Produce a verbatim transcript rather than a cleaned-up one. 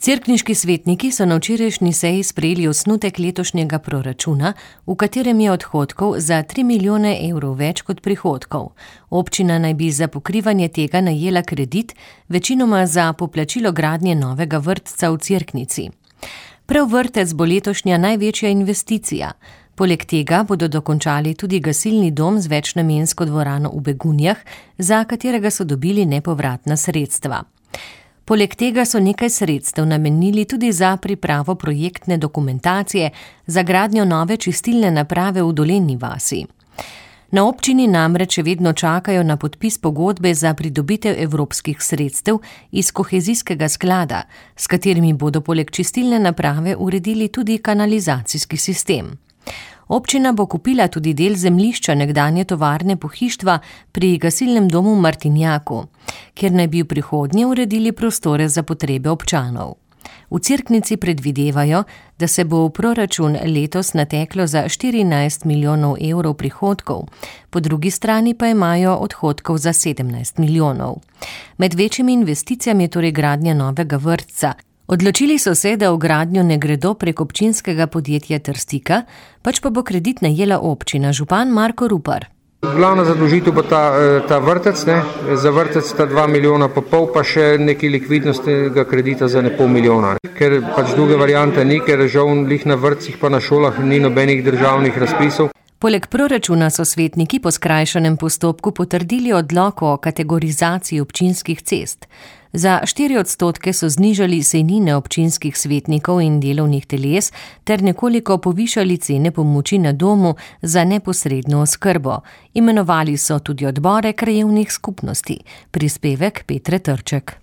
Cerkniški svetniki so na včerajšnji seji sprejeli osnutek letošnjega proračuna, v katerem je odhodkov za tri milijone evrov več kot prihodkov. Občina naj bi za pokrivanje tega najela kredit, večinoma za poplačilo gradnje novega vrtca v Cerknici. Prav vrtec bo letošnja največja investicija. Poleg tega bodo dokončali tudi gasilni dom z večnamensko dvorano v Begunjah, za katerega so dobili nepovratna sredstva. Poleg tega so nekaj sredstev namenili tudi za pripravo projektne dokumentacije za gradnjo nove čistilne naprave v Dolenji vasi. Na občini namreč še vedno čakajo na podpis pogodbe za pridobitev evropskih sredstev iz kohezijskega sklada, s katerimi bodo poleg čistilne naprave uredili tudi kanalizacijski sistem. Občina bo kupila tudi del zemljišča nekdanje tovarne pohištva pri gasilnem domu v Martinjaku, kjer naj bi v prihodnje uredili prostore za potrebe občanov. V Cerknici predvidevajo, da se bo v proračun letos nateklo za štirinajst milijonov evrov prihodkov, po drugi strani pa imajo odhodkov za sedemnajst milijonov. Med večjimi investicijami je torej gradnja novega vrtca. Odločili so se, da v gradnjo ne gredo prek občinskega podjetja Trstika, pač pa bo kredit najela občina, župan Marko Rupar. Glavna zadolžitev bo ta, ta vrtec, ne? Za vrtec sta dva milijona pa pol, pa še nekaj likvidnostnega kredita za ne pol milijona. Ker pač druge variante ni, ker žal lih na vrtcih pa na šolah ni nobenih državnih razpisov. Poleg proračuna so svetniki po skrajšanem postopku potrdili odlok o kategorizaciji občinskih cest. Za štiri odstotke so znižali sejnine občinskih svetnikov in delovnih teles ter nekoliko povišali cene pomoči na domu za neposredno oskrbo. Imenovali so tudi odbore krajevnih skupnosti. Prispevek Petre Trček.